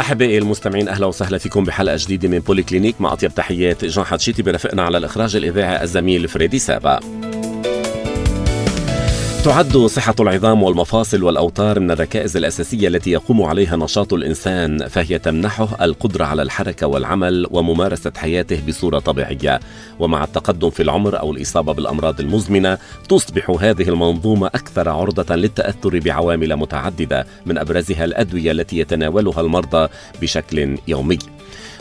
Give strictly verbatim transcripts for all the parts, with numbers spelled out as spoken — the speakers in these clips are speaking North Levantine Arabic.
أحبائي المستمعين، أهلا وسهلا فيكم بحلقة جديدة من بولي كلينيك. مع أطيب تحيات جان حتشيتي، برفقنا على الإخراج الإذاعي الزميل فريدي سابا. تعد صحة العظام والمفاصل والأوتار من الركائز الأساسية التي يقوم عليها نشاط الإنسان، فهي تمنحه القدرة على الحركة والعمل وممارسة حياته بصورة طبيعية. ومع التقدم في العمر أو الإصابة بالأمراض المزمنة تصبح هذه المنظومة أكثر عرضة للتأثر بعوامل متعددة، من أبرزها الأدوية التي يتناولها المرضى بشكل يومي.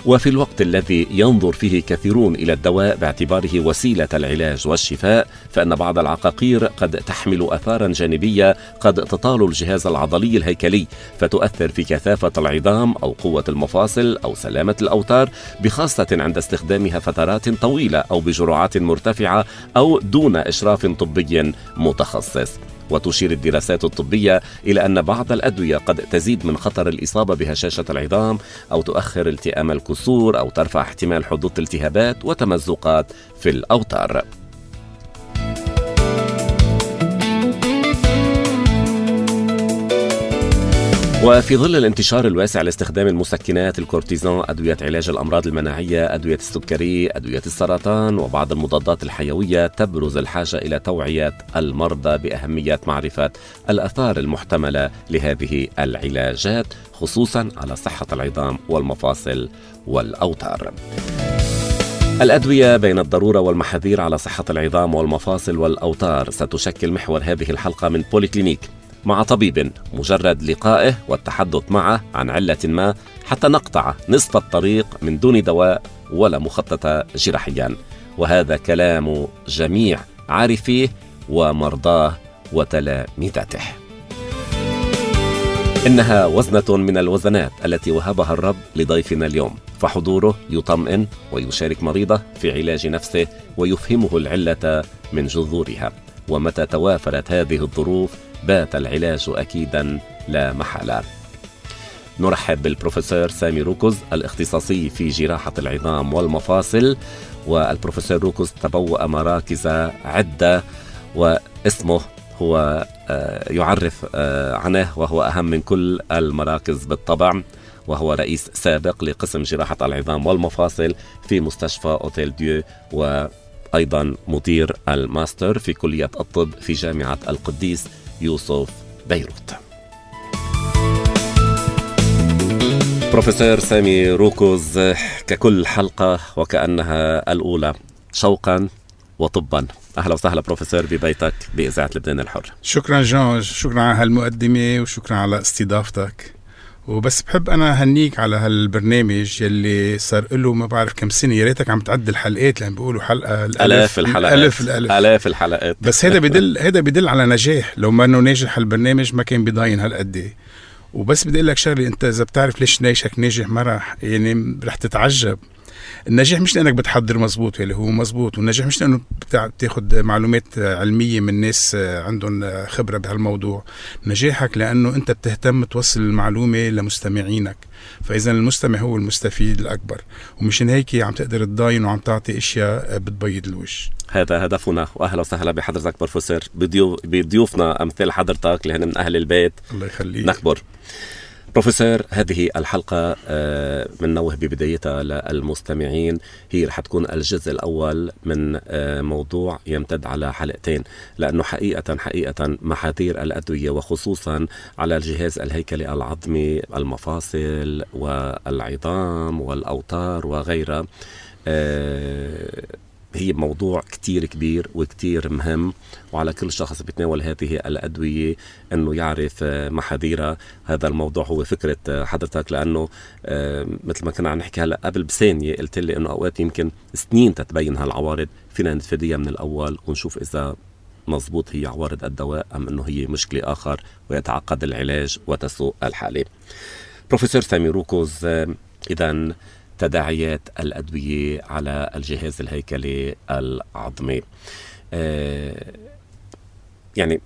وفي الوقت الذي ينظر فيه كثيرون إلى الدواء باعتباره وسيلة العلاج والشفاء، فإن بعض العقاقير قد تحمل آثارا جانبية قد تطال الجهاز العضلي الهيكلي، فتؤثر في كثافة العظام أو قوة المفاصل أو سلامة الأوتار، بخاصة عند استخدامها فترات طويلة أو بجرعات مرتفعة أو دون إشراف طبي متخصص. وتشير الدراسات الطبية إلى أن بعض الأدوية قد تزيد من خطر الإصابة بهشاشة العظام، أو تؤخر التئام الكسور، أو ترفع احتمال حدوث التهابات وتمزقات في الأوتار. وفي ظل الانتشار الواسع لاستخدام المسكنات، الكورتيزون، أدوية علاج الأمراض المناعية، أدوية السكري، أدوية السرطان، وبعض المضادات الحيوية، تبرز الحاجة إلى توعية المرضى بأهمية معرفة الآثار المحتملة لهذه العلاجات، خصوصا على صحة العظام والمفاصل والأوتار. الأدوية بين الضرورة والمحاذير على صحة العظام والمفاصل والأوتار ستشكل محور هذه الحلقة من بولي كلينيك، مع طبيب مجرد لقائه والتحدث معه عن علة ما حتى نقطع نصف الطريق من دون دواء ولا مخططة جراحيا. وهذا كلام جميع عارفيه ومرضاه وتلامذته. إنها وزنة من الوزنات التي وهبها الرب لضيفنا اليوم، فحضوره يطمئن ويشارك مريضه في علاج نفسه ويفهمه العلة من جذورها. ومتى توافرت هذه الظروف بات العلاج أكيدا لا محالة. نرحب بالبروفيسور سامي روكوز، الاختصاصي في جراحة العظام والمفاصل. والبروفيسور روكوز تبوأ مراكز عدة، واسمه هو يعرف عنه، وهو أهم من كل المراكز بالطبع. وهو رئيس سابق لقسم جراحة العظام والمفاصل في مستشفى أوتيل ديو، وأيضا مدير الماستر في كلية الطب في جامعة القديس يوسف بيروت. بروفيسور سامي روكوز، ككل حلقة وكأنها الأولى، شوقا وطبا، أهلا وسهلا بروفيسور ببيتك بإذاعة لبنان الحر. شكرا جون، شكرا على هالمقدمة وشكرا على استضافتك. وبس بحب أنا هنيك على هالبرنامج يلي صار له ما بعرف كم سنة، يا ريتك عم تعد الحلقات لأن بيقولوا حلقة الألف الحلقات الألف الألف ألاف الحلقات. بس هذا بدل هذا بدل على نجاح. لو ما إنه ناجح هالبرنامج ما كان بيضاين هالقدي. وبس بدي أقول لك شغلة، أنت إذا بتعرف ليش ناجحك ناجح ما راح يعني رح تتعجب. النجاح مش لأنك بتحضر مزبوط اللي هو مزبوط، والنجاح مش لأنه بتاخد معلومات علمية من ناس عندهم خبرة بهالموضوع. نجاحك لأنه أنت بتهتم توصل المعلومة لمستمعينك، فإذا المستمع هو المستفيد الأكبر، ومشان هيك عم تقدر تضاين وعم تعطي إشياء بتبيض الوجه. هذا هدفنا. وأهلا وسهلا بحضرتك بروفيسور، بضيوفنا أمثال حضرتك اللي هن من أهل البيت. الله يخليك. نكبر. بروفيسور، هذه الحلقة من نوه ببدايتها للمستمعين هي رح تكون الجزء الأول من موضوع يمتد على حلقتين، لأنه حقيقة حقيقة محاذير الأدوية وخصوصا على الجهاز الهيكلي العظمي، المفاصل والعظام والأوتار وغيرها، هي موضوع كتير كبير وكتير مهم، وعلى كل شخص بيتناول هذه الأدوية أنه يعرف محاذيرها. هذا الموضوع هو فكرة حضرتك، لأنه مثل ما كنا عم نحكي هلأ قبل بثانية قلت لي أنه أوقات يمكن سنين تتبين هالعوارض، فينا نتفاديها من الأول ونشوف إذا مضبوط هي عوارض الدواء أم أنه هي مشكلة آخر ويتعقد العلاج وتسوء الحالة. بروفيسور سامي روكوز، إذن تداعيات الأدوية على الجهاز الهيكلي العظمي، آه يعني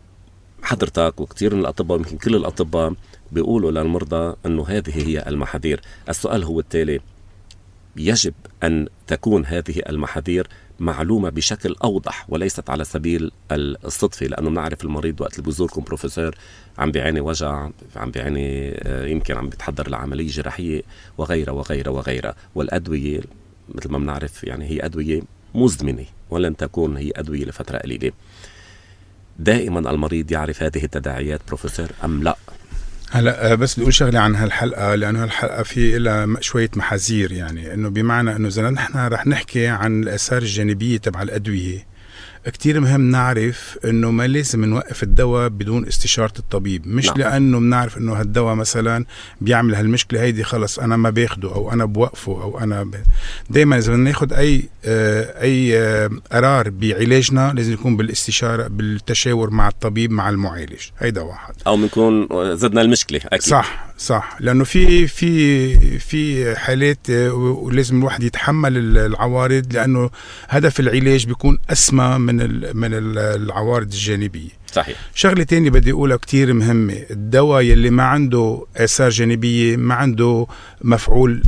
حضرتك وكثير من الأطباء ويمكن كل الأطباء بيقولوا للمرضى أنه هذه هي المحاذير. السؤال هو التالي: يجب أن تكون هذه المحاذير معلومة بشكل أوضح وليست على سبيل الصدفة، لأنه بنعرف المريض وقت اللي بيزوركم بروفيسور عم بيعاني وجع، عم بيعاني يمكن عم بيتحضر لعملية جراحية وغيرها وغيرها وغيرها، والأدوية مثل ما بنعرف يعني هي أدوية مزمنة ولن تكون هي أدوية لفترة قليلة. دائما المريض يعرف هذه التداعيات بروفيسور أم لا؟ هلا بس بدي اقول شغله عن هالحلقه، لانه هالحلقه في لها شويه محاذير، يعني انه بمعنى انه اذا نحن رح نحكي عن الاثار الجانبيه تبع الادويه، كتير مهم نعرف انه ما لازم نوقف الدواء بدون استشارة الطبيب. مش نعم. لانه بنعرف انه هالدواء مثلا بيعمل هالمشكلة هيدي خلص انا ما باخده او انا بوقفه او انا ب... دايما اذا بدنا ناخد اي آه اي آه قرار بعلاجنا لازم يكون بالاستشارة بالتشاور مع الطبيب مع المعالج. هيدا واحد. او بنكون زدنا المشكلة أكيد. صح صح، لانه في في في حالات ولازم الواحد يتحمل العوارض، لانه هدف العلاج بيكون اسمى من من العوارض الجانبية. صحيح. شغلة تانية بدي أقولها كتير مهمة، الدواء يلي ما عنده آثار جانبية ما عنده مفعول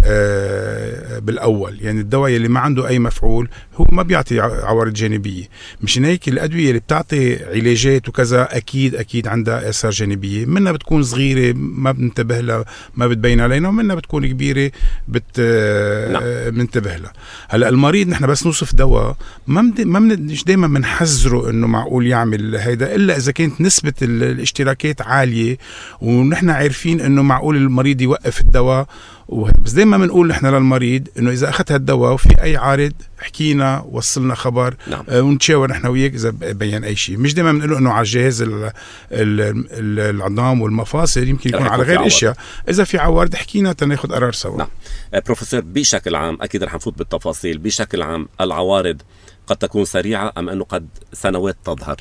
بالأول، يعني الدواء يلي ما عنده أي مفعول هو ما بيعطي عوارض جانبية. مشان هيك الأدوية اللي بتعطي علاجات وكذا أكيد أكيد عندها آثار جانبية، منها بتكون صغيرة ما بنتبه لها ما بتبين علينا، ومنها بتكون كبيرة بت نعم. بنتبه لها. هلا المريض نحن بس نوصف دواء ما مد... ما مش دايما بنحذره إنه معقول يعمل هيدا، إلا إذا كانت نسبة الاشتراكات عالية ونحن عارفين إنه معقول المريض يوقف الدواء. بس دايما بنقول نحن للمريض إنه إذا أخذ هالدواء وفي أي عارض حكينا وصلنا خبر. نعم. آه ونتشاور نحن وياك إذا بين أي شيء. مش دايما بنقول إنه على الجهاز العظام والمفاصل، يمكن يكون على غير أشياء. إذا في عوارض حكينا تناخد قرار سوا. نعم. آه بروفيسور بشكل عام أكيد رح نفوت بالتفاصيل، بشكل عام العوارض قد تكون سريعة أم أنه قد سنوات تظهر؟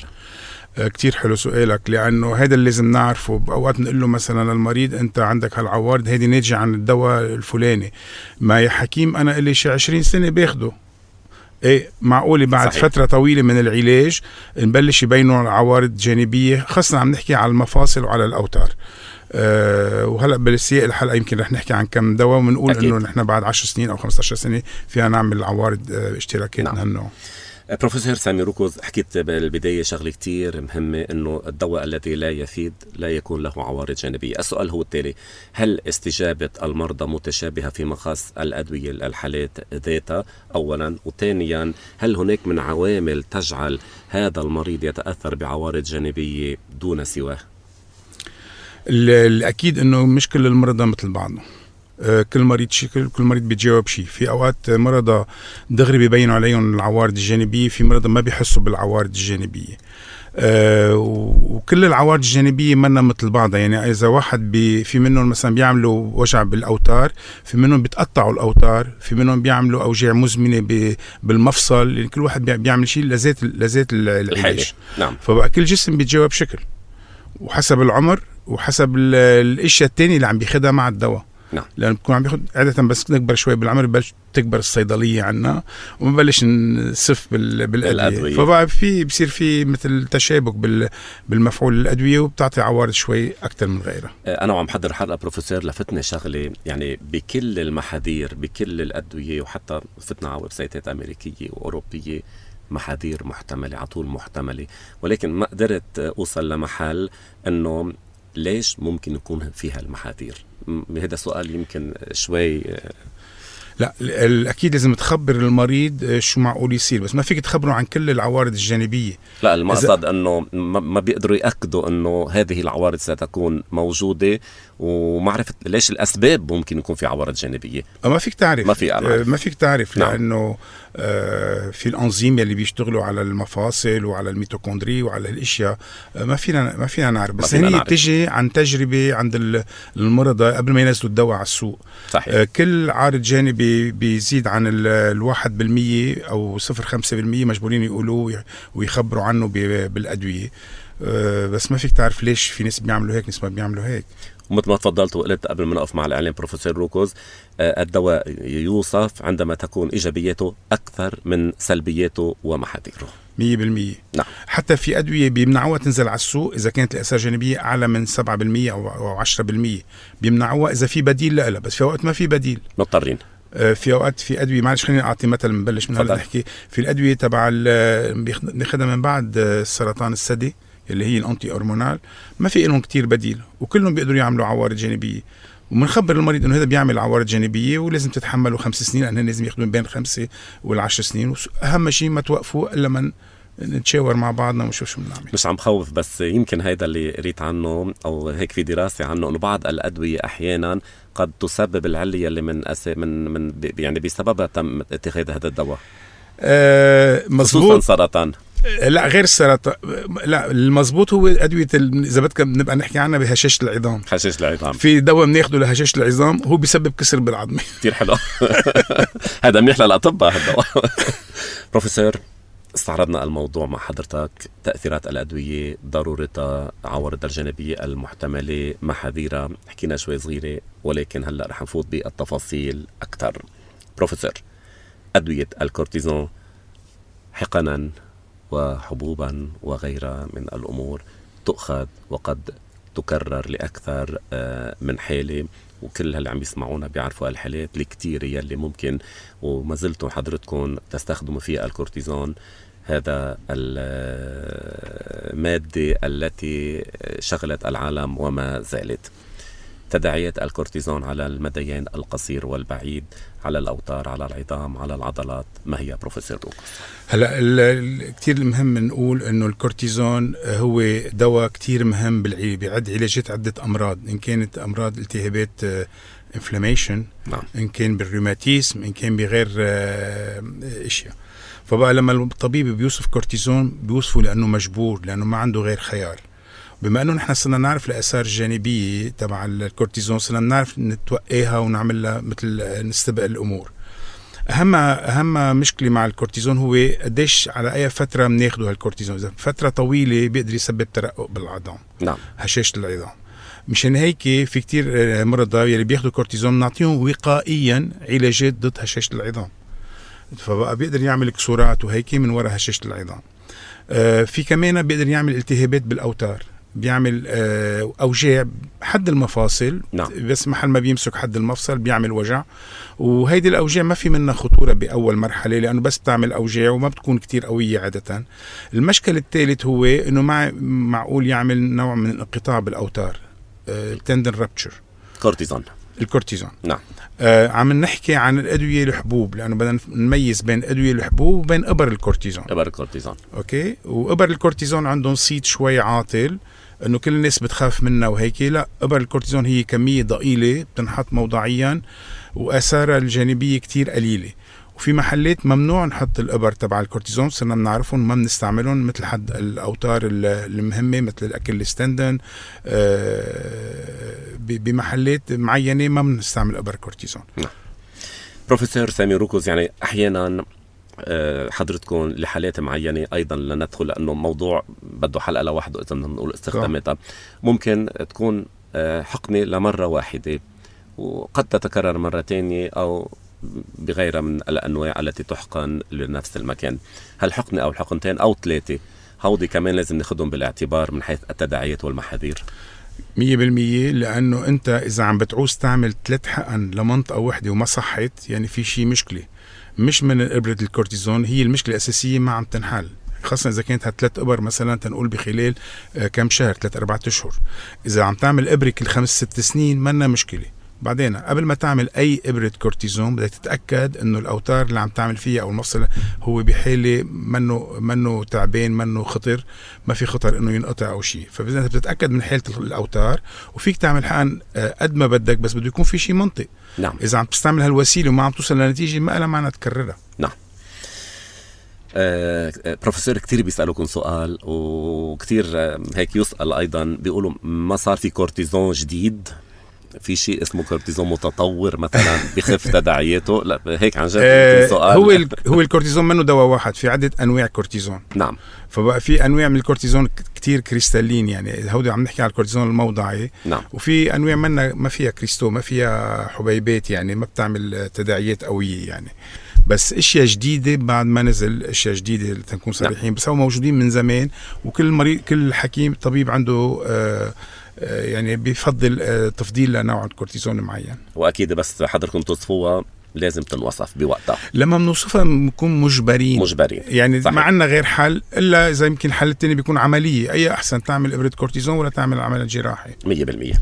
كتير حلو سؤالك، لأنه هذا اللي لازم نعرفه. بأوقات نقول له مثلا للمريض أنت عندك هالعوارض هذه ناتجة عن الدواء الفلاني، ما يا حكيم أنا إلي شي عشرين سنة باخده. ايه معقولة بعد صحيح. فترة طويلة من العلاج نبلش يبينوا عوارض جانبية، خاصة عم نحكي على المفاصل وعلى الأوتار. أه وهلأ بالسياق الحلقة يمكن رح نحكي عن كم دواء ونقول أكيد. إنه نحن بعد عشر سنين أو خمسة عشر سنة فيها نعمل عوارض اه اشتراكات من هالنوع. بروفيسور سامي روكوز، حكيت بالبداية شغلة كتير مهمة، إنه الدواء الذي لا يفيد لا يكون له عوارض جانبية. السؤال هو التالي: هل استجابة المرضى متشابهة في مقاس الأدوية الحالات ذاتها أولا؟ وثانيا هل هناك من عوامل تجعل هذا المريض يتأثر بعوارض جانبية دون سواه؟ الأكيد إنه مش كل المرضى مثل بعضهم، كل مريض شكل، كل مريض بيتجاوب شيء. في أوقات مرضى دغري بيبينوا عليهم العوارض الجانبية، في مرضى ما بيحسوا بالعوارض الجانبية. أه وكل العوارض الجانبية منا مثل بعضها، يعني إذا واحد بي في منهم مثلا بيعملوا وجع بالأوتار، في منهم بيتقطعوا الأوتار، في منهم بيعملوا أوجاع مزمنة بالمفصل، يعني كل واحد بيعمل شيء لذات لذات العلاج. نعم. فبقى كل جسم بيتجاوب بشكل وحسب العمر وحسب الاشياء التانية اللي عم بياخدها مع الدواء. نعم. لأنه بكون عم بياخد عادة بس نكبر شوي بالعمر ببلش تكبر الصيدلية عنا ومبلش نصف بالأدوية، فبقى في بصير في مثل تشابك بالمفعول الأدوية وبتعطي عوارض شوي أكتر من غيرها. أنا وعم حضر حلقة بروفيسور لفتني شغلة، يعني بكل المحاذير بكل الأدوية، وحتى فتنا على ويب سايتات أمريكية وأوروبية محاذير محتملة على طول محتملة، ولكن ما قدرت أوصل لمحل أنه ليش ممكن يكون فيها المحاذير. هذا سؤال يمكن شوي. لا الأكيد لازم تخبر المريض شو معقول يصير، بس ما فيك تخبره عن كل العوارض الجانبية. لا المقصد أنه ما بيقدروا يأكدوا أنه هذه العوارض ستكون موجودة، ومعرفة ليش الأسباب ممكن يكون في عوارض جانبية. ما فيك تعرف ما, في ما فيك تعرف نعم. لأنه آه في الأنظيم اللي بيشتغلوا على المفاصل وعلى الميتوكوندري وعلى الأشياء ما فينا ما فينا نعرف، بس هي تجي عن تجربة عند المرضى قبل ما ينزلوا الدواء على السوق. صحيح. آه كل عارض جانبي بيزيد عن الواحد بالمية أو صفر خمسة بالمية مجبورين يقولوه ويخبروا عنه بالأدوية. أه بس ما فيك تعرف ليش في ناس بيعملوا هيك ناس ما بيعملوا هيك. ومثل ما تفضلت وقلت قبل ما نقف مع الإعلان بروفيسور روكوز، أه الدواء يوصف عندما تكون إيجابياته أكثر من سلبياته ومحاذيره. مية بالمية. نعم. حتى في أدوية بيمنعوها تنزل على السوق إذا كانت الآثار الجانبية أعلى من سبعة بالمية أو عشرة بالمية، بيمنعوها إذا في بديل لها، بس في وقت ما في بديل مضطرين في اوقات في ادويه، معلش خليني اعطي مثل نبلش من هلا نحكي في الادويه تبع بناخذها من بعد سرطان الثدي اللي هي الانتي هرمونال، ما في لهم كتير بديل وكلهم بيقدروا يعملوا عوارض جانبيه، وبنخبر المريض انه هذا بيعمل عوارض جانبيه ولازم تتحملوا خمس سنين، لانه لازم ياخذون بين خمسه والعشر سنين، واهم شيء ما توقفوا الا من نتشاور مع بعضنا ونشوف شو بنعمل. مش عم خوف، بس يمكن هيدا اللي قريت عنه او هيك في دراسه عنه، انه بعض الادويه احيانا قد تسبب العليه اللي من أس... من من يعني بسببها تم اتخاذ هذا الدواء. أه مزبوط. خصوصا سرطان. لا غير السرطان، لا المزبوط هو ادويه اذا بدك بنبقى نحكي عنها بهشاشه العظام. هشاشه العظام في دواء بناخده لهشاشه العظام هو بيسبب كسر بالعظمه. كثير حلو. هذا منيح للاطباء هالدواء. بروفيسور، استعرضنا الموضوع مع حضرتك، تأثيرات الأدوية، ضرورتها، عوارضها الجانبية المحتملة، محاذيرها، حكينا شوي صغيرة، ولكن هلأ رح نفوت بالتفاصيل أكثر. بروفيسور، أدوية الكورتيزون حقنا وحبوبا وغيرها من الأمور تؤخذ وقد تكرر لأكثر من حالة، وكل اللي عم يسمعونا بيعرفوا الحالات الكتير يلي ممكن وما زلتوا حضرتكم تستخدموا فيها الكورتيزون، هذا المادة التي شغلت العالم وما زالت. تداعيات الكورتيزون على المديين القصير والبعيد، على الأوتار، على العظام، على العضلات، ما هي بروفيسور روكوس؟ هلا كتير مهم نقول انه الكورتيزون هو دواء كتير مهم بالعلاج، بيعد علاجات عدة امراض، ان كانت امراض التهابات انفلاميشن، نعم. ان كان بالروماتيزم، ان كان بغير اشياء. فبقى لما الطبيب بيوصف كورتيزون بيوصفه لانه مجبور، لانه ما عنده غير خيار. بما انه نحن صرنا نعرف الاثار الجانبيه تبع الكورتيزون، صرنا نعرف نتوقيها ونعمل لها مثل نستبق الامور. اهم اهم مشكله مع الكورتيزون هو قديش على اي فتره بناخده هالكورتيزون. اذا فتره طويله بيقدر يسبب ترقق بالعظام، نعم، هشاشه العظام. مشان هيك في كتير مرضى يلي بياخدوا كورتيزون نعطيهم وقائيا علاجات ضد هشاشه العظام، فبقى بيقدر يعمل كسورات وهيك من وراء هشاشه العظام. آه في كمان بيقدر يعمل التهابات بالاوتار، بيعمل آه اوجاع حد المفاصل، نعم. بس محل ما بيمسك حد المفصل بيعمل وجع، وهيدي الاوجاع ما في منها خطوره باول مرحله، لانه بس بتعمل اوجاع وما بتكون كتير قويه عاده. المشكل الثالث هو انه مع معقول يعمل نوع من الانقطاع بالاوتار، آه تندن رابتشر. كورتيزون الكورتيزون، نعم. آه عم نحكي عن الادويه الحبوب، لانه بدنا نميز بين ادويه الحبوب وبين ابر الكورتيزون. ابر الكورتيزون، اوكي. وابر الكورتيزون عندهم صيت شوي عاطل، انه كل الناس بتخاف منها وهيك. لا، ابر الكورتيزون هي كميه ضئيله بتنحط موضعيا واثارها الجانبيه كتير قليله، وفي محلات ممنوع نحط الابر تبع الكورتيزون، صرنا بنعرفهم ما بنستعملهم، مثل حد الاوتار المهمه مثل الاكل الستندن. آه بمحلات معينه ما بنستعمل ابر كورتيزون. نعم. بروفيسور سامي روكوس، يعني احيانا حضرتكم لحالات معينه ايضا لندخل، لانه موضوع بده حلقه لوحده اذا بدنا نقول استخداماتها، ممكن تكون حقنه لمره واحده وقد تتكرر مره ثانيه او بغيرها من الانواع التي تحقن لنفس المكان. هل حقنه او حقنتين او ثلاثه هودي كمان لازم ناخذهم بالاعتبار من حيث التداعيات والمحاذير؟ مية بالمية، لأنه أنت إذا عم بتعوز تعمل ثلاث حقن لمنطقة واحدة وما صحت، يعني في شيء مشكلة، مش من إبرة الكورتيزون، هي المشكلة الأساسية ما عم تنحل، خاصة إذا كانت هالثلاث إبر مثلا تنقول بخلال كم شهر، ثلاث أربعة أشهر. إذا عم تعمل إبرة كل خمس ست سنين منا مشكلة. بعدين قبل ما تعمل أي إبرة كورتيزون بدك تتأكد إنه الأوتار اللي عم تعمل فيها أو المفصل هو بحالة منه منه تعبان، منه خطر، ما في خطر إنه ينقطع أو شيء. فبدك بتتأكد من حالة الأوتار، وفيك تعمل حقن قد ما بدك، بس بده يكون في شيء منطق. نعم. إذا عم تستعمل هالوسيلة وما عم توصل لنتيجة ما لها معنى تكررها. نعم. آه، بروفيسور، كتير بيسألوكم سؤال وكتير هيك يسأل أيضا، بيقولوا ما صار في كورتيزون جديد؟ في شيء اسمه كورتيزون متطور مثلا بخف تداعياته؟ لا هيك عن جد آه سؤال. هو هو الكورتيزون منه دواء واحد، في عدة انواع كورتيزون. نعم. فبقى في انواع من الكورتيزون كتير كريستالين، يعني هودي عم نحكي على الكورتيزون الموضعي. نعم. وفي انواع منها ما فيها كريستو، ما فيها حبيبات، يعني ما بتعمل تداعيات قوية يعني. بس اشياء جديده بعد ما نزل، اشياء جديده لتكون صريحين. نعم. بس هو موجودين من زمان، وكل مريض كل حكيم طبيب عنده آه يعني بيفضل تفضيل لنوع الكورتيزون معين. واكيد بس حضرتكم توصفوها لازم تنوصف بوقتها. لما بنوصفها بنكون مجبرين مجبرين يعني صحيح. ما عندنا غير حل إلا إذا يمكن الحل التاني بيكون عملية. أي أحسن تعمل إبرة كورتيزون ولا تعمل عملية جراحي؟ مية بالمية.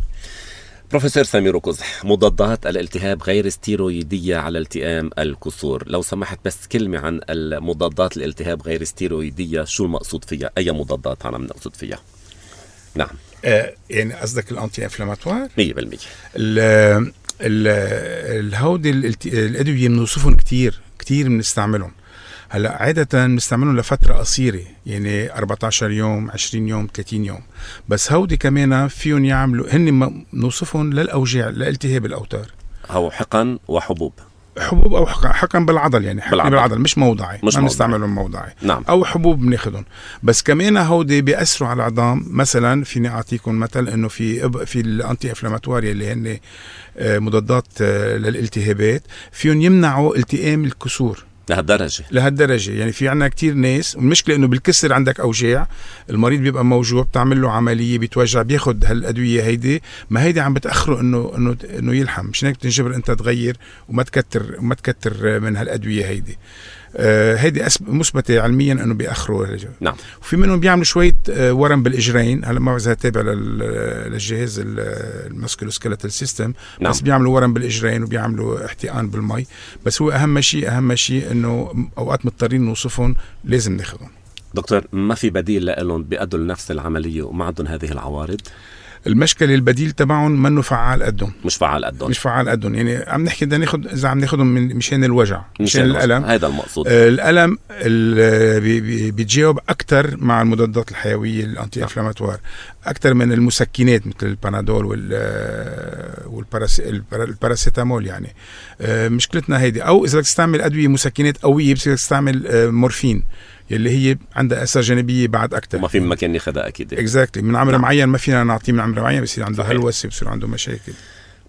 بروفيسور سامي روكوز، مضادات الالتهاب غير ستيرويدية على التئام الكسور، لو سمحت بس كلمة عن المضادات الالتهاب غير ستيرويدية، شو المقصود فيها؟ أي مضادات عم نقصد فيها؟ نعم آه يعني قصدك الأنتي إنفلاماتوار؟ مية بالمية. الهودي الأدوية بنوصفهم كتير كتير بنستعملهم. هلا عادة بنستعملهم لفترة قصيرة يعني أربعة عشر يوم، عشرين يوم، ثلاثين يوم، بس هودي كمان فيهم يعملوا هن بنوصفهم للأوجاع، لالتهاب الأوتار، أو حقن وحبوب. حبوب او حقن, حقن بالعضل يعني حقن بالعضل, بالعضل مش موضعي، مش ما بنستعملهم موضعي. نعم. او حبوب بناخدهم. بس كمان هودي بيأثروا على العظام. مثلا فيني اعطيكم مثل انه في في الانتي انفلاماتوريا اللي هن مضادات للالتهابات فيهم يمنعوا التئام الكسور لهالدرجة لهالدرجة يعني في عنا كتير ناس، والمشكلة انه بالكسر عندك اوجاع، المريض بيبقى موجوع، بتعمل له عملية، بيتوجع، بياخد هالادوية هيدي، ما هيدي عم بتأخره انه انه انه يلحم. مش هيك بتنجبر انت تغير وما تكتر وما تكتر من هالادوية هيدي. آه هيدي مثبتة علميا انه بيأخروا. نعم. وفي منهم بيعملوا شوية آه ورم بالاجرين. هلا ما بعرف تابع للجهاز الماسكولوسكيلتال سيستم. نعم. بس بيعملوا ورم بالاجرين وبيعملوا احتقان بالمي. بس هو اهم شيء اهم شيء انه اوقات مضطرين نوصفهم لازم ناخذهم. دكتور، ما في بديل لهم بيأدوا لنفس العملية وما عندهم هذه العوارض؟ المشكلة البديل تبعهم منه فعال قدهم. مش فعال قدهم. مش فعال قدهم. يعني عم نحكي بدنا ناخذ اذا عم ناخذهم من مشان الوجع، مشان الالم. هذا المقصود. آه الالم بي بيتجاوب اكثر مع المضادات الحيوية الانتي انفلاماتوار اكثر من المسكنات مثل البانادول والباراسيتامول. يعني آه مشكلتنا هيدي. او اذا بدك تستعمل ادوية مسكنات قوية بس بدك تستعمل آه مورفين يلي هي عندها اثار جانبيه بعد اكثر. ما في مكان ياخذها اكيد. اكزاكتلي. من عمر نعم. معين ما فينا نعطيه من عمر معين، بصير عنده هلوسه، بصير عنده مشاكل.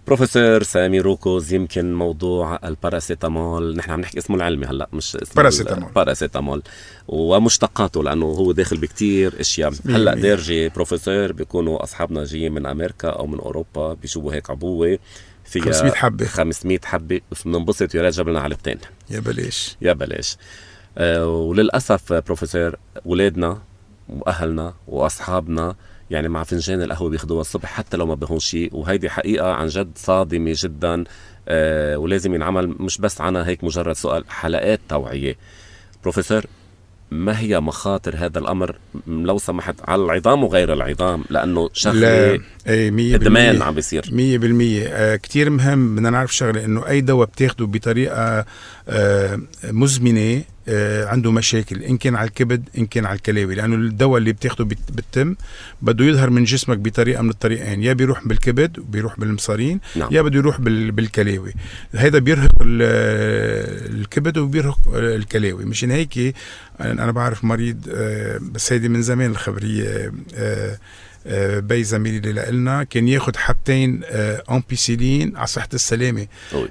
بروفيسور سامي روكوز، يمكن موضوع الباراسيتامول، نحن عم نحكي اسمه العلمي هلا مش اسمه باراسيتامول باراسيتامول ومشتقاته لانه هو داخل بكتير اشياء. هلا ديرجي بروفيسور بيكونوا اصحابنا جايين من امريكا او من اوروبا بيشوفوا هيك عبوه فيها خمسمية حبه خمسمية حبه، بننبسط يا ريت جاب لنا علبتين. يا بلاش يا بلاش. أه وللأسف بروفيسور أولادنا وأهلنا وأصحابنا يعني مع فنجان القهوة بياخدوها الصبح حتى لو ما بهون شيء، وهيدي حقيقة عن جد صادمة جدا. أه ولازم ينعمل مش بس عنا هيك مجرد سؤال، حلقات توعية. بروفيسور، ما هي مخاطر هذا الأمر لو سمحت على العظام وغير العظام؟ لأنه شغلة إدمان عم بيصير. مية بالمية. آه كتير مهم بدنا نعرف شغلة، إنه أي دواء بتاخده بطريقة آه مزمنة آه عنده مشاكل، إن كان على الكبد إن كان على الكلاوي، لأنه الدواء اللي بتاخده بالتم بده يظهر من جسمك بطريقة من الطريقين، يا بيروح بالكبد وبيروح بالمصارين نعم. يا بده يروح بالكلاوي. هذا بيرهق الكبد وبيرهق الكلاوي. مشان هيك أنا بعرف مريض آه بس هيدي من زمان الخبرية آه آه بي زميلي اللي لقلنا كان ياخد حبتين آه أمبيسيلين على صحة السلامة.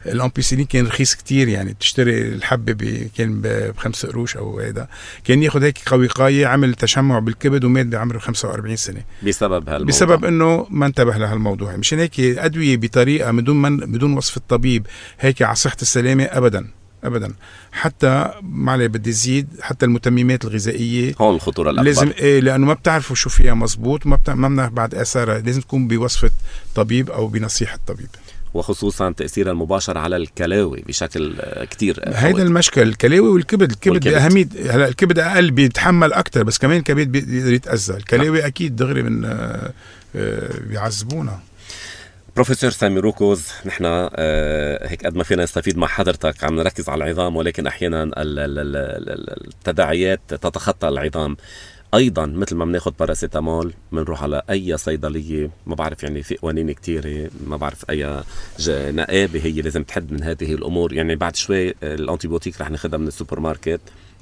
الأمبيسيلين كان رخيص كتير، يعني تشتري الحبة كان بخمس قروش أو هيدا. كان ياخد هيك قوقاية، عمل تشمع بالكبد ومات بعمره خمسة وأربعين سنة بسبب هالموضوع. بسبب إنه ما انتبه لهالموضوع. مشان هيك أدوية بطريقة بدون من بدون وصف الطبيب هيك على صحة السلامة أبداً ابدا. حتى معلي بدي زيد، حتى المتممات الغذائيه هون الخطوره الاكبر لازم إيه، لانه ما بتعرفوا شو فيها مزبوط وما بتع... ما بنعرف بعد اثارها. لازم تكون بوصفه طبيب او بنصيحه طبيب، وخصوصا تاثيرها المباشر على الكلاوي بشكل كتير. هيدا المشكل الكلاوي والكبد. الكبد اهميه. هلا الكبد اقل بيتحمل اكتر، بس كمان الكبد بيقدر يتاذى. الكلاوي اكيد دغري من آه بيعذبونا. بروفيسور سامي روكوز، نحن آه هيك قد ما فينا نستفيد مع حضرتك عم نركز على العظام، ولكن احيانا التداعيات تتخطى العظام. ايضا مثل ما بناخذ باراسيتامول بنروح على اي صيدليه، ما بعرف يعني في قوانين كتيره، ما بعرف اي نقابه هي لازم تحد من هذه الامور. يعني بعد شوي الانتيبيوتيك رح ناخذها من السوبر ماركت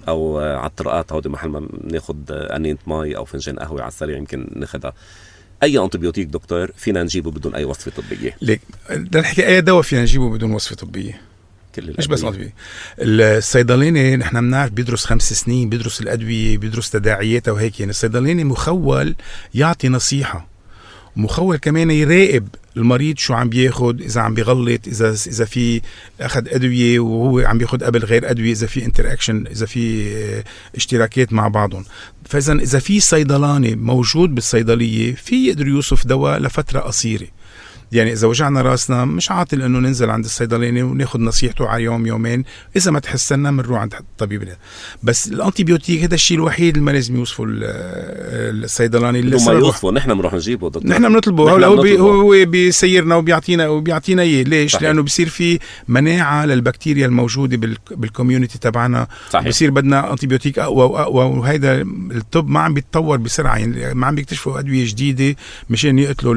او على الطرقات، هودي محل ما بناخذ انينه مي او فنجان قهوه على السريع يمكن ناخذها. اي انتيبيوتيك دكتور فينا نجيبه بدون اي وصفه طبيه؟ ليك بدنا نحكي اي دواء فينا نجيبه بدون وصفه طبيه، مش بس أدوية. الصيدلاني نحن بنعرف بيدرس خمس سنين، بيدرس الأدوية، بيدرس تداعياتها وهيك. يعني الصيدلاني مخول يعطي نصيحة، مخول كمان يراقب المريض شو عم بياخد، إذا عم بيغلط، إذا إذا في أخذ أدوية وهو عم بياخد قبل غير أدوية، إذا في انتراكشن، إذا في اشتراكات مع بعضهم. فإذا إذا في صيدلاني موجود بالصيدلية في يقدر يوصف دواء لفترة قصيرة. يعني إذا وجعنا راسنا مش عاطل إنه ننزل عند الصيدلاني وناخد نصيحته على يوم يومين، إذا ما تحسنا منروح عند الطبيب. بس الأنتيبيوتيك هذا الشيء الوحيد اللي ما لازم يوصفه الصيدلاني. اللي ما يوصفه نحن بنروح نجيبه دكتور، نحن بنطلبه، هو بي هو بيسيرنا وبيعطينا وبيعطينا إيه. ليش؟ صحيح. لأنه بيصير في مناعة للبكتيريا الموجودة بال بالكوميونيتي تبعنا، بيصير بدنا أنتيبيوتيك أقوى وأقوى، وهيدا الطب ما عم بيتطور بسرعة، يعني ما عم بيكتشفوا أدوية جديدة مشان يقتلوا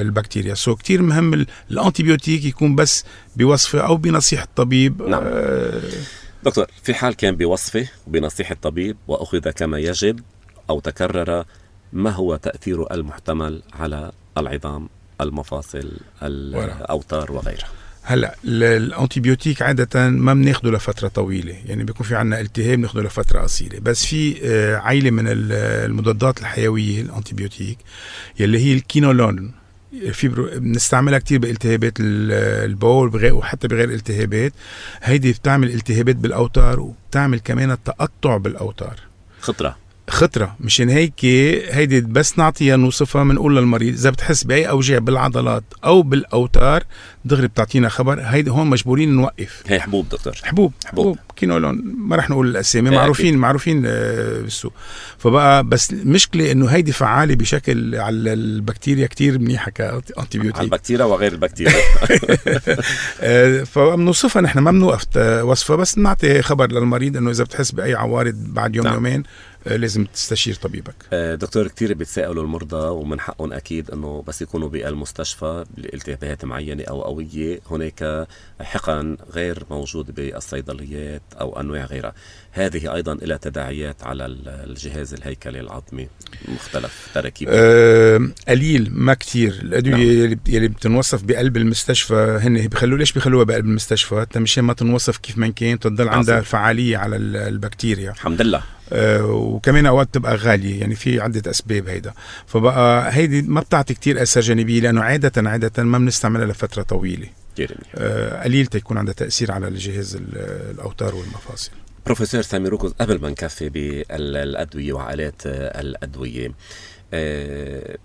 البكتيريا. سو كتير مهم الانتيبيوتيك يكون بس بوصفه او بنصيحه الطبيب. نعم. آه دكتور، في حال كان بوصفه وبنصيحه الطبيب واخذ كما يجب او تكرر، ما هو تاثيره المحتمل على العظام، المفاصل، الاوتار وغيرها؟ هلا الانتيبيوتيك عاده ما بناخده لفتره طويله، يعني بيكون في عندنا التهاب بناخده لفتره قصيره. بس في عائله من المضادات الحيويه الانتيبيوتيك يلي هي الكينولون، في بنستعملها كتير بالتهابات البول وحتى بغير الالتهابات. هيدي بتعمل التهابات بالاوتار وبتعمل كمان التقطع بالاوتار. خطره خطره مشان هيك هيدي بس نعطيها نوصفها، بنقول للمريض اذا بتحس باي اوجاع بالعضلات او بالاوتار دغري بتعطينا خبر. هيدي هون مجبورين نوقف. هي حبوب دكتور، حبوب حبوب, حبوب. كينولون، ما رح نقول الاسامي، معروفين أكيد. معروفين بالسوق. فبقى بس المشكله انه هيدي فعاله بشكل على البكتيريا كتير منيحه كانتيبيوتيك، على البكتيريا وغير البكتيريا. فبنوصفها نحن، ما بنوقف وصفها، بس نعطي خبر للمريض انه اذا بتحس باي عوارض بعد يوم نعم. يومين لازم تستشير طبيبك. دكتور، كتير بيتساءلوا المرضى ومن حقهم أكيد أنه بس يكونوا بالمستشفى بالتهابات معينة أو قوية هناك حقن غير موجود بالصيدليات أو أنواع غيرها. هذه أيضا إلى تداعيات على الجهاز الهيكلي العظمي مختلف تركيبه. أه قليل، ما كتير. الأدوية نعم. يلي بتنوصف بقلب المستشفى هن بيخلوا ليش بيخلوها بقلب المستشفى؟ مشان ما تنوصف كيف ما كان، تضل عندها فعالية على البكتيريا. الحمد لله. أه وكمان اوقات تبقى غاليه، يعني في عده اسباب هيدا. فبقى هيدي ما بتعطي كتير اثر جانبي، لانه عاده عاده ما بنستعملها لفتره طويله. أه قليل تكون عندها تاثير على الجهاز الاوتار والمفاصل. بروفيسور سامي روكوز، قبل ما نكفي بالادويه وعائلات الادويه، أه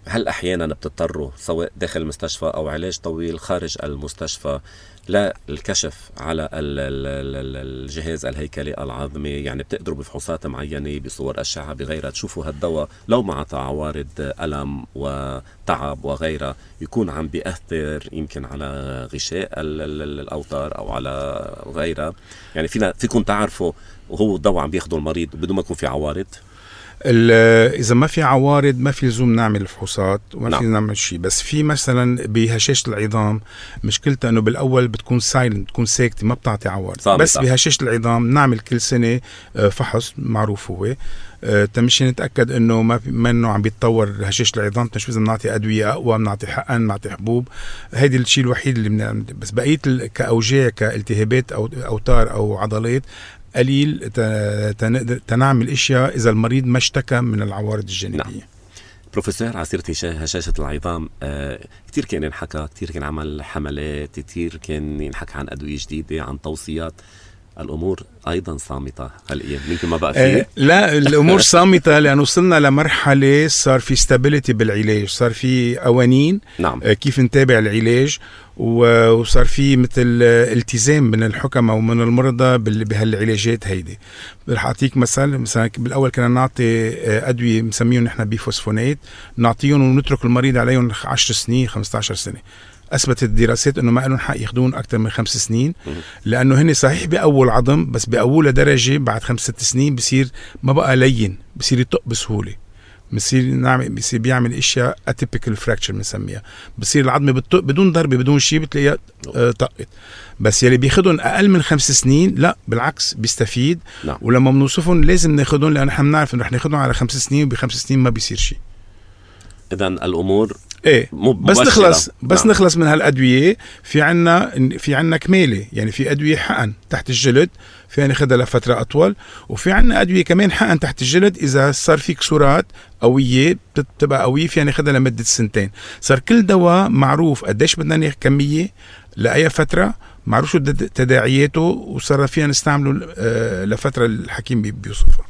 هل احيانا بتضطروا سواء داخل المستشفى او علاج طويل خارج المستشفى للكشف على الجهاز الهيكلي العظمي؟ يعني بتقدروا بفحوصات معينة بصور أشعة بغيرها تشوفوا هالدواء لو مع عوارض ألم وتعب وغيرها يكون عم بيأثر يمكن على غشاء الأوتار أو على غيرها؟ يعني فينا فيكم تعرفوا وهو الدواء عم بياخده المريض بدون ما يكون في عوارض؟ إذا ما في عوارض ما في لزوم نعمل الفحوصات وما نعم. في نعمل شيء. بس في مثلا بهشاشة العظام مشكلتها أنه بالأول بتكون سايلنت، بتكون ساكتة، ما بتعطي عوارض. صامتة. بس بهشاشة العظام نعمل كل سنة فحص معروف هو تمشي نتأكد أنه ما منه عم بيتطور هشاشة العظام، تنشوف إذا بنعطي أدوية أقوى، بنعطي حقن، بنعطي حبوب. هيدي الشيء الوحيد اللي بنعمل. بس بقية كأوجاع كالتهابات أو أوتار أو عضلات قليل تنعمل اشياء اذا المريض ما اشتكى من العوارض الجانبيه. نعم. بروفيسور، عسيرة هشاشة العظام، آه كتير كان ينحكى، كتير كان عمل حملات، كتير كان ينحكى عن أدوية جديدة، عن توصيات. الأمور أيضا صامتة هالأيام، يمكن ما بقى فيه؟ آه لا، الأمور صامتة لأنه وصلنا لمرحلة صار في stability بالعلاج، صار في قوانين. نعم. آه كيف نتابع العلاج، وصار في مثل التزام من الحكماء ومن المرضى بهالعلاجات هيدي. رح أعطيك مثل. مثلا بالأول كنا نعطي أدوية مسميهم نحن بيفوسفونات، نعطيهم ونترك المريض عليهم عشر سنين خمسة عشر سنة. أثبتت الدراسات أنه ما لهم حق ياخدون أكثر من خمس سنين، لأنه هن صحيح بأول عظم بس بأول درجة بعد خمس ست سنين بصير ما بقى لين، بصير يطق بسهولة، بصير نعمل بصير بيعمل اشياء اتيبيكال فراكشر بنسميها، بصير العظمه بتطق بدون ضربه بدون شيء بتلاقيها آه طقت. بس يلي بياخدهم اقل من خمس سنين لا بالعكس بيستفيد. نعم. ولما بنوصفهم لازم ناخدهم لان احنا بنعرف انه رح ناخدهم على خمس سنين وبخمس سنين ما بيصير شيء. اذا الامور ايه بس نخلص بس نعم. نخلص من هالادويه. في عنا في عنا كماله، يعني في ادويه حقن تحت الجلد فينا ناخذها لفتره اطول، وفي عنا ادويه كمان حقن تحت الجلد اذا صار في كسورات قويه بتبقى قويه فينا ناخذها لمده سنتين. صار كل دواء معروف قديش بدنا ناخذ كميه لاي فتره، معروف شو تداعياته، وصار فينا نستعمله لفتره الحكيم بيوصفها.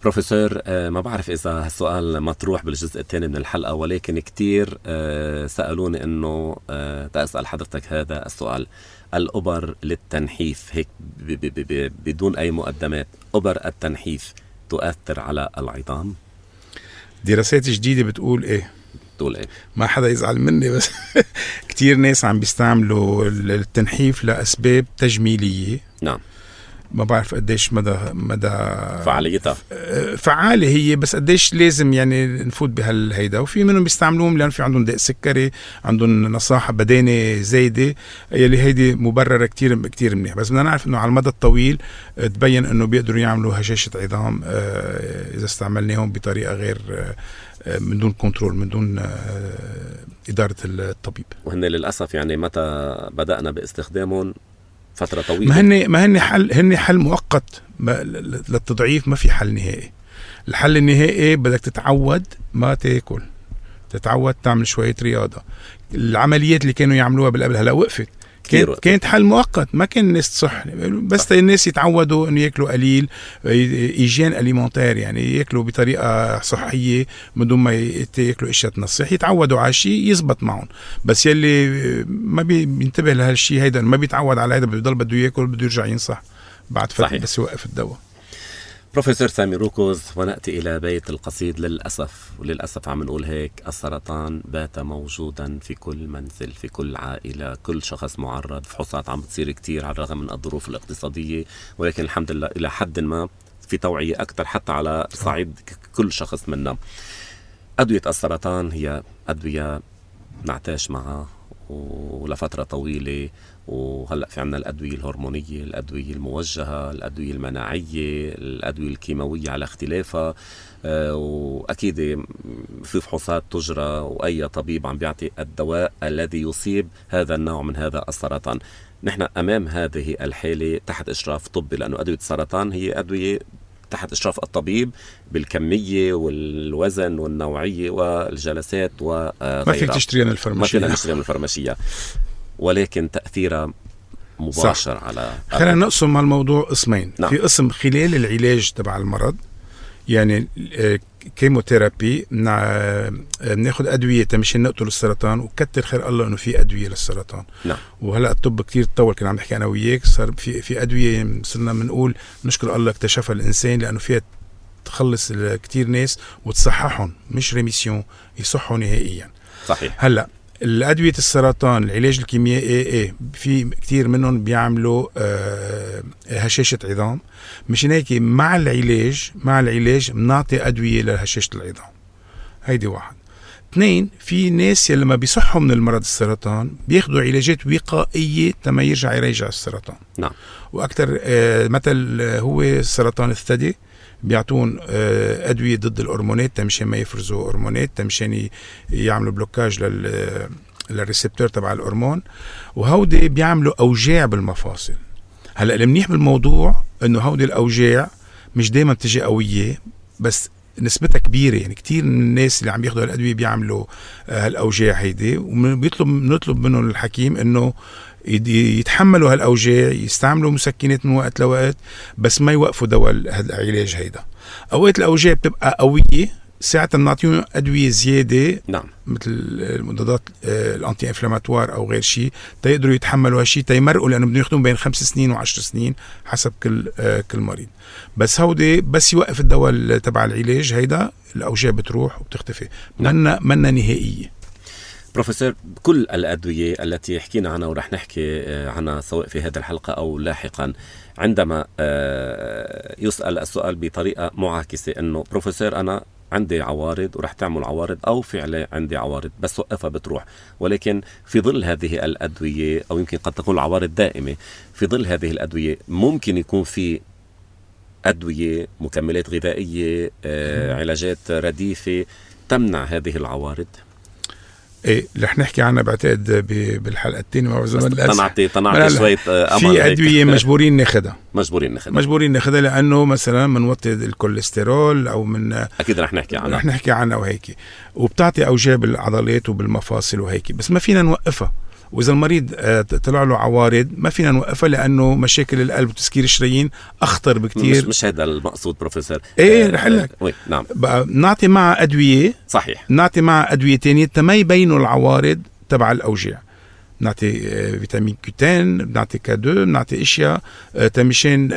بروفيسور، ما بعرف إذا هالسؤال مطروح بالجزء الثاني من الحلقة، ولكن كتير سألوني أنه تسأل حضرتك هذا السؤال. الأبر للتنحيف هيك بدون أي مقدمات، أبر التنحيف تؤثر على العظام؟ دراسات جديدة بتقول إيه؟ بتقول إيه؟ ما حدا يزعل مني، بس كتير ناس عم بيستعملوا التنحيف لأسباب تجميلية. نعم. ما بعرف قديش مدى مدى فعاليتها فعالة هي، بس قديش لازم يعني نفوت بهالهيدا. وفي منهم بيستعملوهم لأن في عندهم داء سكري، عندهم نصاحة بدانة زايدة، يلي هيدي مبررة كتير كتير منيح. بس بدنا نعرف إنه على المدى الطويل تبين إنه بيقدروا يعملوا هشاشة عظام إذا استعملناهم بطريقة غير من دون كنترول، من دون إدارة الطبيب. وهن للأسف يعني متى بدأنا باستخدامهم فترة طويلة، ما هن ما هن حل هن حل مؤقت للتضعيف، ما في حل نهائي. الحل النهائي بدك تتعود ما تاكل، تتعود تعمل شوية رياضة. العمليات اللي كانوا يعملوها بالقبل هلا وقفت، كانت كانت حل مؤقت، ما كان الناس تصح، بس الناس يتعودوا انه ياكلوا قليل، ايجين اليمونتير، يعني ياكلوا بطريقه صحيه من دون ما ياكلوا اشياء تنصح، يتعودوا على شيء يزبط معهم. بس يلي ما بينتبه لهالشيء هيدا، ما بيتعود على هيدا، بيضل بده ياكل، بده يرجع ينصح بعد فتره بس يوقف الدواء. بروفيسور سامي روكوز، ونأتي إلى بيت القصيد. للأسف وللأسف عم نقول هيك، السرطان بات موجودا في كل منزل، في كل عائلة، كل شخص معرض. فحوصات عم بتصير كتير على الرغم من الظروف الاقتصادية، ولكن الحمد لله إلى حد ما في توعية أكثر حتى على صعيد كل شخص منا. أدوية السرطان هي أدوية نعتاش معها ولفترة طويلة، وهلأ في عنا الأدوية الهرمونية، الأدوية الموجهة، الأدوية المناعية، الأدوية الكيماوية على اختلافها، وأكيد في فحوصات تجرى، وأي طبيب عم بيعطي الدواء الذي يصيب هذا النوع من هذا السرطان. نحن أمام هذه الحالة تحت إشراف طبي، لأنه أدوية السرطان هي أدوية تحت إشراف الطبيب بالكمية والوزن والنوعية والجلسات وغيرها. ما فيك تشتريها من الفرماشية، ما فينا نشتريها من الفرماشية، ولكن تأثيرها مباشر. صح. على خلينا نقسم هالموضوع قسمين. نعم. في قسم خلال العلاج تبع المرض، يعني كيموثيرابي، بناخذ ادويه تمشي نقتل السرطان، وكتر خير الله انه في ادويه للسرطان. نعم. وهلا الطب كتير تطور، كنا عم نحكي انا وياك، صار في في ادويه صرنا بنقول نشكر الله اكتشفها الانسان، لانه فيها تخلص كتير ناس وتصححهم، مش ريميسيون، يصحوا نهائيا. صحيح. هلا الأدوية السرطان العلاج الكيميائي ايه في كتير منهم بيعملوا آه هشاشة عظام، مشان هيك مع العلاج مع العلاج بنعطي أدوية لهشاشة العظام. هيدي واحد. اثنين، في ناس يلي ما بيصحوا من المرض السرطان بياخدوا علاجات وقائية تما يرجع يرجع السرطان. نعم. وأكتر آه مثل هو سرطان الثدي، بيعطون أدوية ضد الهرمونات تمشان ما يفرزوا هرمونات، تمشان يعملوا بلوكاج لل للريسبتور تبع الهرمون، وهودي بيعملوا أوجاع بالمفاصل. هلأ المنيح بالموضوع إنه هودي الأوجاع مش دايما بتجي قوية، بس نسبتها كبيرة، يعني كتير من الناس اللي عم بياخدوا هالأدوية بيعملوا هالأوجاع هيدي، وبيطلب نطلب منهم الحكيم إنه يتحملوا هالأوجاع، يستعملوا مسكنات من وقت لوقت، بس ما يوقفوا دواء العلاج هيدا. أوقات الأوجاع بتبقى قوية، ساعة نعطيهم أدوية زيادة. نعم. مثل المضادات الأنتي إنفلاماتوار أو غير شيء، تيقدروا يتحملوا هالشيء، تيمرقوا، لأنه بدهم ياخدون بين خمس سنين وعشر سنين حسب كل كل مريض. بس هودي بس يوقف الدواء تبع العلاج هيدا، الأوجاع بتروح وبتختفي. نعم. منا منا نهائية. بروفيسور، كل الأدوية التي حكينا عنها ورح نحكي عنها سواء في هذه الحلقة أو لاحقا، عندما يسأل السؤال بطريقة معاكسة إنه بروفيسور أنا عندي عوارض ورح تعمل عوارض، أو فعلا عندي عوارض بس وقفها بتروح، ولكن في ظل هذه الأدوية، أو يمكن قد تكون العوارض دائمة، في ظل هذه الأدوية ممكن يكون في أدوية، مكملات غذائية، علاجات رديفة تمنع هذه العوارض. ايه رح نحكي عنها بعتقد بالحلقه الثانيه مع زمان الاسف. طنعتي طنعتي شويه امل. في ادويه مجبورين ناخذها مجبورين ناخذها مجبورين ناخذها لانه مثلا منوطي الكوليسترول او من اكيد رح نحكي عنها رح نحكي عنها وهيك، وبتعطي اوجاع بالعضلات وبالمفاصل وهيك، بس ما فينا نوقفها. واذا المريض طلع له عوارض ما فينا نوقفها لانه مشاكل القلب وتسكير الشرايين اخطر بكتير. مش, مش هذا المقصود بروفيسور. ايه رح اقول لك وي نعم بقى نعطي معها ادويه صحيح، نعطي معها ادويه ثانيه تما يبينوا العوارض تبع الاوجاع. بنعطي فيتامين كوتين، بنعطي كادو، بنعطي اشياء تمشين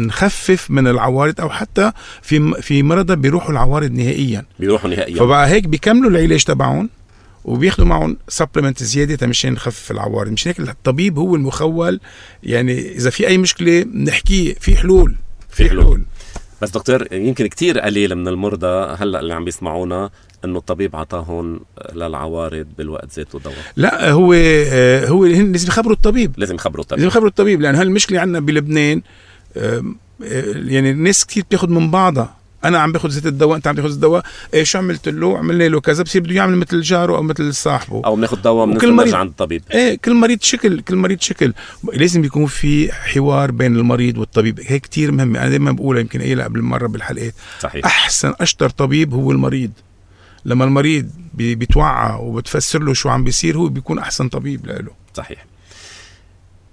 نخفف من العوارض، او حتى في في مرضى بيروحوا العوارض نهائيا بيروحوا نهائيا فبقى هيك بيكملوا العلاج تبعهم وبياخدوا معهم سبلمنت زياده تمشين نخفف العوارض. مش هيك الطبيب هو المخول، يعني اذا في اي مشكله نحكي في حلول في حلول. حلول بس دكتور يمكن كتير قليل من المرضى هلا اللي عم بيسمعونا انه الطبيب عطاهم للعوارض بالوقت ذاته دواء. لا هو هو لازم يخبروا الطبيب لازم يخبروا الطبيب لازم يخبروا الطبيب لان هالمشكله عندنا بلبنان. يعني الناس كتير بتاخد من بعضها، انا عم باخذ زيت الدواء انت عم تاخذ الدواء، ايه شو عملت له؟ عملنا له كذا، بصير بده يعمل مثل جاره او مثل صاحبه، او بناخذ دواء بنرجع عند الطبيب. ايه كل مريض شكل كل مريض شكل لازم يكون في حوار بين المريض والطبيب. هيك كتير مهم. انا دائما بقولها يمكن قايلها قبل مره بالحلقات. صحيح. احسن اشطر طبيب هو المريض. لما المريض بيتوعى وبتفسر له شو عم بيصير هو بيكون احسن طبيب له. صحيح.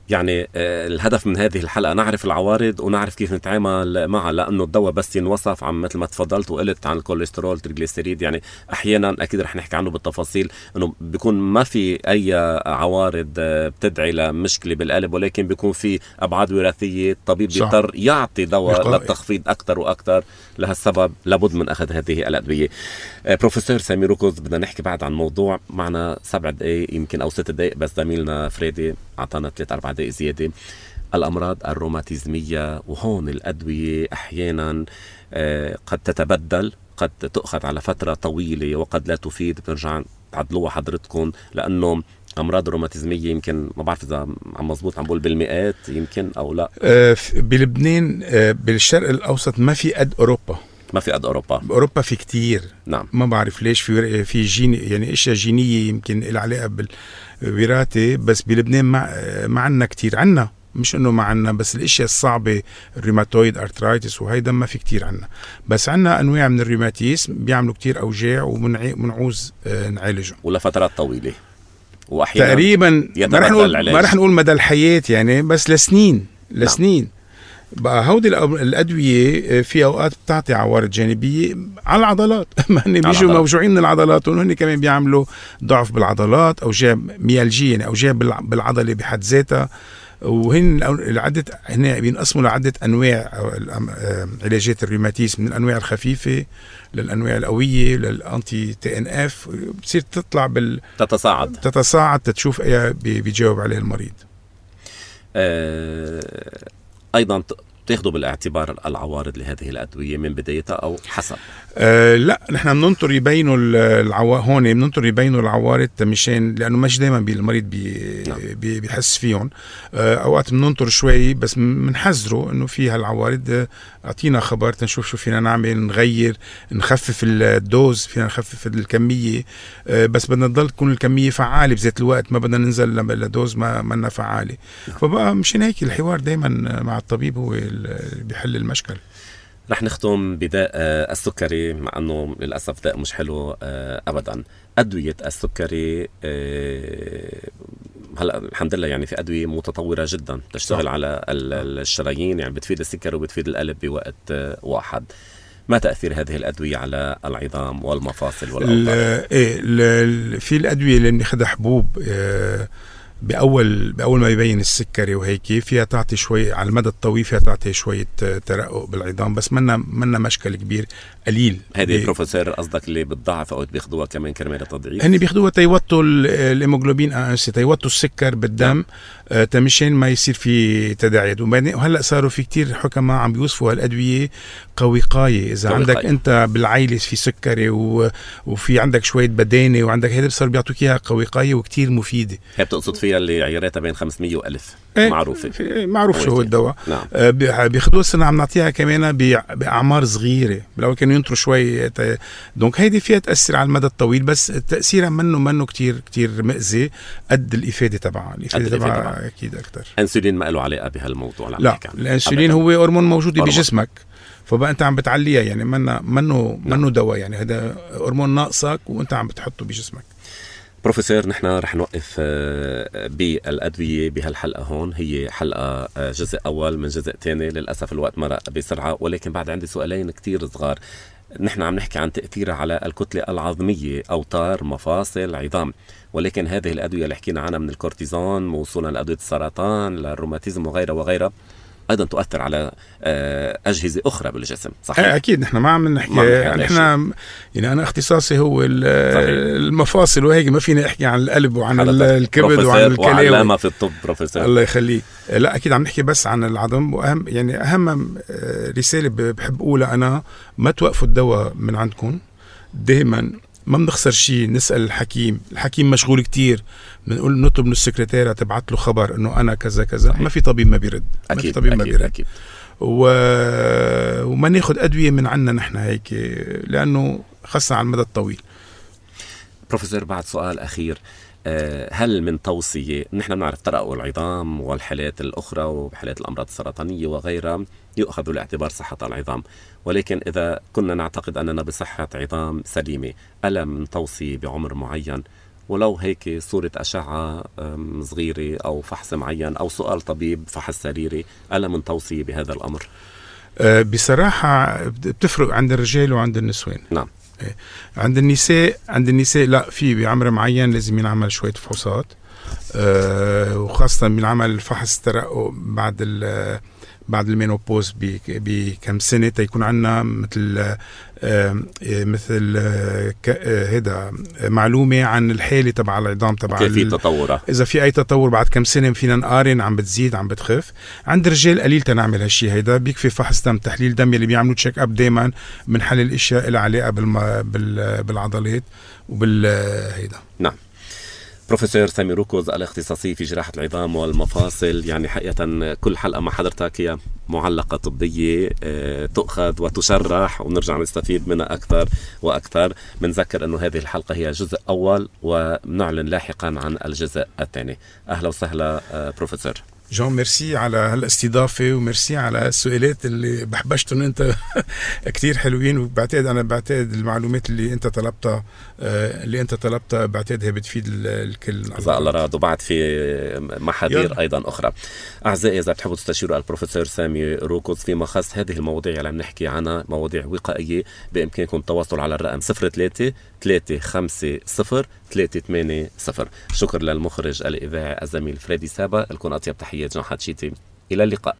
يعني الهدف من هذه الحلقة نعرف العوارض ونعرف كيف نتعامل معها، لأنه الدواء بس ينوصف عن مثل ما تفضلت وقلت عن الكوليسترول تريغليسيريد، يعني أحيانا أكيد رح نحكي عنه بالتفاصيل أنه بيكون ما في أي عوارض بتدعي لمشكلة بالقلب، ولكن بيكون في أبعاد وراثية. الطبيب بيضطر يعطي دواء للتخفيض أكتر وأكتر. لهالسبب لابد من أخذ هذه الأدوية. بروفيسور سامي ركوز، بدنا نحكي بعد عن موضوع معنا سبع دقايق يمكن أو ست دقايق، بس زميلنا فريدي أعطانا ثلاث أربع دقايق زيادة. الأمراض الروماتيزمية، وهون الأدوية أحيانا قد تتبدل، قد تأخذ على فترة طويلة وقد لا تفيد. بترجع تعدلوها حضرتكم لأنه أمراض الروماتيزمية يمكن ما بعرف إذا عم مزبوط عم بقول بالمئات يمكن أو لا. بلبنان بالشرق الأوسط ما في قد أوروبا. ما في قد أوروبا. بأوروبا في كتير. نعم. ما بعرف ليش في في جين يعني إشياء جينية يمكن العلاقة بالوراثة، بس بلبنان ما ما عنا كتير. عنا مش إنه ما عنا، بس الأشياء الصعبة الروماتويد أرترايتس وهيدا ما في كتير عنا، بس عنا أنواع من الروماتيزم بيعملوا كتير أوجاع ومنعوز نعالجهم ولفترات طويلة وأحيانا تقريبا ما رح نقول ما رح نقول مدى الحياة يعني، بس لسنين لسنين. نعم. بقى هودي الأدوية في أوقات بتعطي عوارض جانبية على العضلات. ما هن بيجوا موجوعين من العضلات، وهن كمان بيعملوا ضعف بالعضلات، أوجاع ميالجية يعني أوجاع بالعضلة بحد ذاتها. وهن العدة هنا بينقسموا لعدة أنواع علاجات الروماتيزم، من الأنواع الخفيفة للأنواع القوية للأنتي تي إن إف. بتصير تطلع بال تتصاعد تتصاعد تتشوف أي بيجاوب عليه المريض. أه... أيضا تاخذوا بالاعتبار العوارض لهذه الأدوية من بدايتها أو حسب؟ أه لا، نحن بننطر يبينوا العوا هون بننطر يبينوا العوارض مشان لأنه مش دايما المريض بي نعم. بي بيحس فيهم. أه أوقات بننطر شوي بس بنحذره إنه في هالعوارض، أعطينا خبر تنشوف شو فينا نعمل، نغير نخفف الدوز، فينا نخفف الكمية. أه بس بدنا نضل تكون الكمية فعالة بذات الوقت، ما بدنا ننزل لدوز ما منا فعالة. نعم. فبقى مشان هيك الحوار دايما مع الطبيب هو بيحل المشكل. رح نختم بداء السكري، مع أنه للأسف داء مش حلو أبدا. أدوية السكري هلا الحمد لله يعني في أدوية متطورة جدا تشتغل صح. على الشرايين، يعني بتفيد السكر وبتفيد القلب بوقت واحد. ما تأثير هذه الأدوية على العظام والمفاصل والأوتار؟ إيه في الأدوية اللي بناخدها حبوب بأول بأول ما يبين السكري وهيك فيها تعطي شوي على المدى الطويل، فيها تعطي شوية ترقق بالعظام، بس منا منا مشكل كبير قليل. هذه بروفيسور قصدك اللي بتضعف أو بياخدوها كمان كرمال التضعيف؟ هني بياخدوها تيوتوا الهيموغلوبين أنسي، تيوتوا السكر بالدم آه تمشين ما يصير في تداعيات. وهلا صاروا في كتير حكماء عم بيوصفوا هالأدوية كوقاية. إذا عندك قوي. أنت بالعائلة في سكري و... وفي عندك شوية بدانة وعندك هيدا، صار بيعطوك إياها كوقاية وكتير مفيدة. هي بتقصد فيها اللي عياراتها بين خمسمية وألف؟ ايه معروفة معروف شو هو الدواء. نعم. آه بياخدوها السنة عم نعطيها كمان بأعمار صغيرة، بالأول كان ممكن ينطروا شوي. دونك هيدي فيها تأثر على المدى الطويل، بس تأثيرها منه منه كتير كتير مأذي قد الإفادة تبعها. الإفادة تبعها أكيد أكتر. أنسولين ما له علاقة بهالموضوع؟ لا، الأنسولين هو هرمون موجود بجسمك، فبقى أنت عم بتعليها، يعني منه منه منه دواء، يعني هذا هرمون ناقصك وأنت عم بتحطه بجسمك. بروفيسور، نحن رح نوقف بالأدوية بهالحلقة هون. هي حلقة جزء أول من جزء تاني، للأسف الوقت مرق بسرعة، ولكن بعد عندي سؤالين كتير صغار. نحن عم نحكي عن تأثيرها على الكتلة العظمية، أوتار، مفاصل، عظام، ولكن هذه الأدوية اللي حكينا عنها من الكورتيزون وصولا لأدوية السرطان للروماتيزم وغيرها وغيرها أيضا تؤثر على أجهزة أخرى بالجسم، صحيح؟ أكيد. نحن ما عم نحكي، نحن يعني أنا اختصاصي هو المفاصل وهيك، ما فينا أحكي عن القلب وعن الكبد وعن الكلى وعلامة في الطب. بروفيسور الله يخليه. لا أكيد عم نحكي بس عن العظم. وأهم يعني أهم رسالة بحب أقولها أنا، ما توقفوا الدواء من عندكم دائما، ما بنخسر شيء. نسأل الحكيم، الحكيم مشغول كتير، بنقول نطلب من السكرتيرة تبعت له خبر انه انا كذا كذا. ما في طبيب ما بيرد، أكيد ما في طبيب أكيد ما بيرد. أكيد. و... وما ناخد أدوية من عنا نحن هيك، لأنه خاصة على المدى الطويل. بروفيسور، بعد سؤال أخير، هل من توصية، نحن بنعرف ترقق العظام والحالات الأخرى وحالات الأمراض السرطانية وغيرها يؤخذ بالاعتبار صحة العظام، ولكن إذا كنا نعتقد أننا بصحة عظام سليمة، ألا من توصية بعمر معين، ولو هيك صورة أشعة صغيرة أو فحص معين أو سؤال طبيب فحص سريري، ألا من توصية بهذا الأمر؟ أه بصراحة بتفرق عند الرجال وعند النسوان. نعم. عند النساء عند النساء لا، في بعمر معين لازم ينعمل شوية فحوصات، أه وخاصة بنعمل فحص ترقق بعد ال بعد المينوبوز بكم سنة، تيكون عنا مثل مثل هيدا معلومة عن الحالة تبع العظام تبع كيف في تطورة، إذا في أي تطور بعد كم سنة فينا نقارن عم بتزيد عم بتخف. عند الرجال قليل تنعمل هالشي هيدا، بيكفي فحص دم، تحليل دم اللي بيعملوا تشيك أب دايما من حل الأشياء اللي علاقة بالعضلات وبالهيدا. نعم. بروفيسور سامي روكوز، الاختصاصي في جراحة العظام والمفاصل، يعني حقيقة كل حلقة مع حضرتك هي معلقة طبية تؤخذ وتشرح ونرجع نستفيد منها أكثر وأكثر. بنذكر أنه هذه الحلقة هي جزء أول ونعلن لاحقا عن الجزء الثاني. أهلا وسهلا بروفيسور جون، ميرسي على هالاستضافة، وميرسي على السؤالات اللي بحبشتهم انت كتير حلوين. وبعتقد انا بعتقد المعلومات اللي انت طلبتها اللي انت طلبتها بعتقدها بتفيد الكل. جزاك الله راد. وبعد في محاذير ايضا اخرى. اعزائي، اذا بتحبوا تستشيروا البروفيسور سامي روكوز فيما خص هذه المواضيع اللي عم نحكي عنها، مواضيع وقائية، بامكانكم التواصل على الرقم صفر ثلاثة ثلاثة خمسة صفر ثلاثة ثمانية صفر. شكر للمخرج الاذاعي الزميل فريدي سابا. لكم اطيب تحيات جون حتشيتي، الى اللقاء.